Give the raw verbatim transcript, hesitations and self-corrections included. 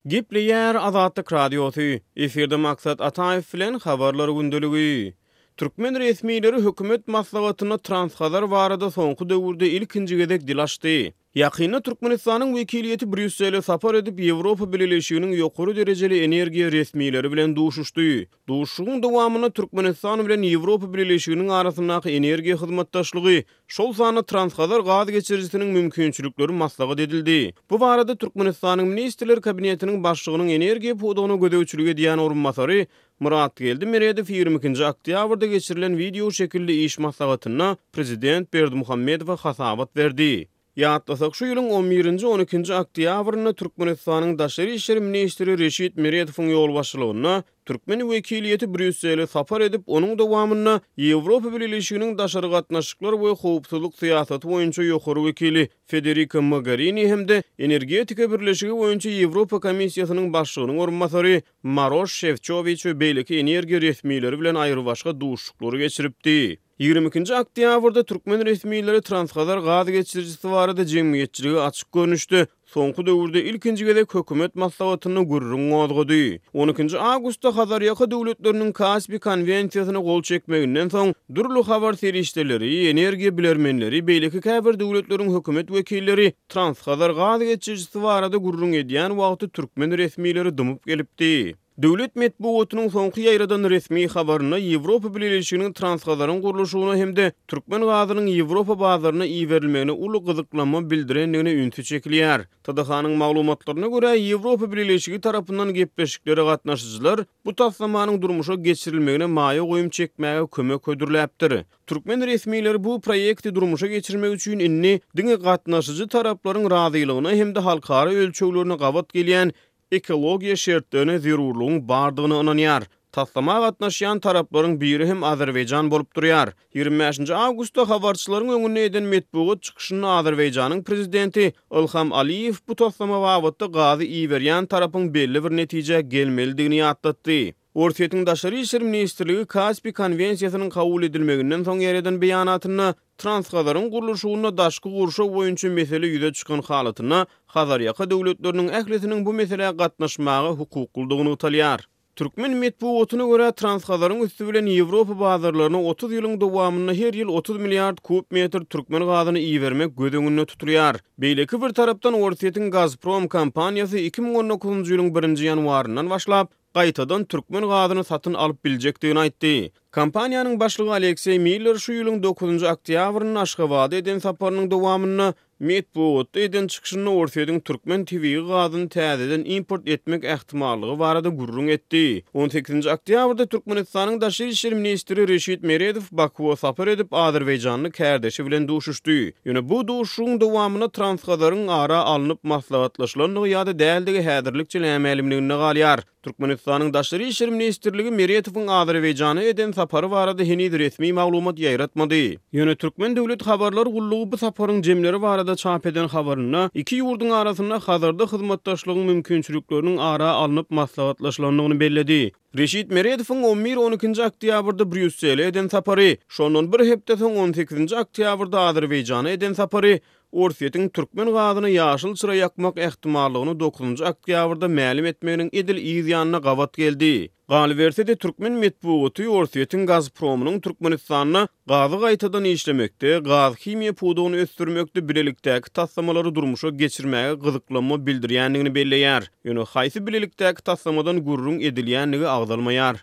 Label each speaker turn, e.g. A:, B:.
A: Gepleýär Azatlyk Radiosy, efirde Maksat Ataýew bilen Habarlar gündeligi. Türkmen resmileri hökümet maslahatynda Transhazar barada soňky döwürde ilkinji gezek dil açdy. Ýakynda Türkmenistanyň wekiliýeti Brýussele sapar edip, Ýewropa Bileleşiginiň ýokary derejeli energiýa resmileri bilen duşuşdy. Duşuşygyň dowamynda Türkmenistan bilen Ýewropa Bileleşiginiň arasyndaky energiýa hyzmatdaşlygy, şol sanda Transhazar gaz geçirijisiniň mümkinçilikleri maslahat edildi. Bu barada Türkmenistanyň Ministrler Kabinetiniň Başlygynyň energiýa pudagyna gözegçilik edýän orunbasary Myratgeldi Meredow ýigrimi ikinji oktýabrda geçirilen wideo şekilli iş maslahatynda prezident Berdimuhamedowa hasabat berdi. Ýatlasak, şu ýylyň on birinji, on ikinji oktýabrynda Türkmenistanyň Daşary işler ministri Reşit Meredowyň ýolbaşçylygynda türkmen wekiliýeti Brýussele sapar edip, onuň dowamynda Ýewropa Bileleşiginiň daşary gatnaşyklar we howpsuzlyk syýasaty boýunça ýokary wekili Federika Mogerini hem-de Energetika birleşigi boýunça Ýewropa Komissiýasynyň başlygynyň orunbasary Maroş Şefçowiç we beýleki energiýa resmileri bilen aýrybaşga duşuşyklary geçiripdi. Ýigrimi ikinji oktýabrda türkmen resmileri Transhazar gaz geçirijisi barada jemgyýetçilige açyk görnüşde soňky döwürde ilkinji gezek hökümet maslahatynda gürrüň gozgady. On ikinji awgustda Hazarýaka döwletleriniň Kaspi konwensiýasyna gol çekmeginden soň dürli habar serişdeleri, energiýa bilermenleri, beýleki käbir döwletleriň hökümet wekilleri Transhazar gaz geçirijisi barada gürrüň edýän wagty türkmen resmileri dymyp gelipdi. Döwlet metbugatynyň soňky ýaýradan resmi habarynda Ýewropa Bileleşiginiň Transhazaryň gurluşygyna hem-de türkmen gazynyň Ýewropa bazaryna iberilmegine uly gyzyklanma bildirendigine ünsi çekilýär. T D H-nyň maglumatlaryna görä, Ýewropa Bileleşigi tarapyndan gepleşiklere gatnaşyjylar bu taslamanyň durmuşa geçirilmegine maýa goýum çekmäge kömek hödürläpdir. Türkmen resmileri bu proýekti durmuşa geçirmek üçin indi diňe gatnaşyjy taraplaryň razylygyna hem-de halkara ölçeglerine gabat gelýän ekologiýa şertlerine zerurlygyň bardygyna ynanýar. Taslama gatnaşýan taraplaryň biri hem Azerbaýjan bolup durýar. Ýigrimi bäşinji awgustda habarçylaryň öňünde eden metbugat çykyşynda Azerbaýjanyň prezidenti Ilham Aliýew bu taslama babatda gazy iberýän tarapyň belli bir netijä gelmelidigini ýatlatdy. Orsýetiň Daşary işler ministrligi Kaspi konwensiýasynyň kabul edilmeginden soň ýereden beýanatynda Transhazaryň gurluşygynda daşky gurşaw boýunça mesele ýüze çykan halatynda Hazarýaka döwletleriniň ählisiniň bu meselä gatnaşmaga hukuklydygyny nygtalýar. Türkmen metbugatyna görä Transhazaryň üsti bilen Ýewropa bazarlaryna otuz ýylyň dowamynda her ýyl otuz milliard kub metr türkmen gazyny ibermek göz öňünde tutulýar. Beýleki bir tarapdan Orsýetiň Gazprom kompaniýasy iki müň on dokuzynjy ýylyň birinji ýanwaryndan başlap gaýtadan türkmen gazyny satyn alyp biljekdigini aýtdy. Kompaniýanyň başlygy Alekseý Miller şu ýylyň dokuzynjy oktýabrynda Aşgabada eden saparynyň dowamynda metbugatda eden çykyşynda Orsýetiň türkmen tebigy gazyny täzeden import etmek ähtimallygy barada gürrüň etdi. on sekizinji oktýabrda Türkmenistanyň Daşary işler ministri Reşit Meredow Bakuwa sapar edip Azerbaýjanly kärdeşi bilen duşuşdy. Ýöne bu duşuşygyň dowamynda Transhazaryň ara alnyp maslahatlaşylandygy ýa-da däldigi häzirlikçe nämälimliginde galýar. Türkmenistanyň Daşary işler ministrligi Meredowyň Azerbaýjana eden sapary barada heniz resmi maglumat ýaýratmady. Ýöne Türkmen döwlet habarlar gullugy bu saparyň jemleri barada çap eden habarynda iki ýurduň arasynda Hazarda hyzmatdaşlygyň mümkinçilikleriniň ara alnyp maslahatlaşylandygyny belledi. Reşit Meredowyň on bir on ikinji oktýabrda Brýussele eden sapary, şondan bir hepde soň on sekizinji oktýabrda Azerbaýjana eden sapary, Orsýetiň türkmen gazyny ýaşyl çyra ýakmak ähtimallygyny dokuzynjy oktýabrda mälim etmeginiň edil yz ýanyna gabat geldi. Galyberse-de türkmen metbugaty Orsýetiň Gazpromynyň Türkmenistanda gazy gaýtadan işlemekde, gaz himiýa pudagyny ösdürmekde bilelikdäki taslamalary durmuşa geçirmäge gyzyklanma bildirýändigini belleýär. Ýöne haýsy bilelikdäki taslamadan gürrüň edilýändigi agzalmaýar.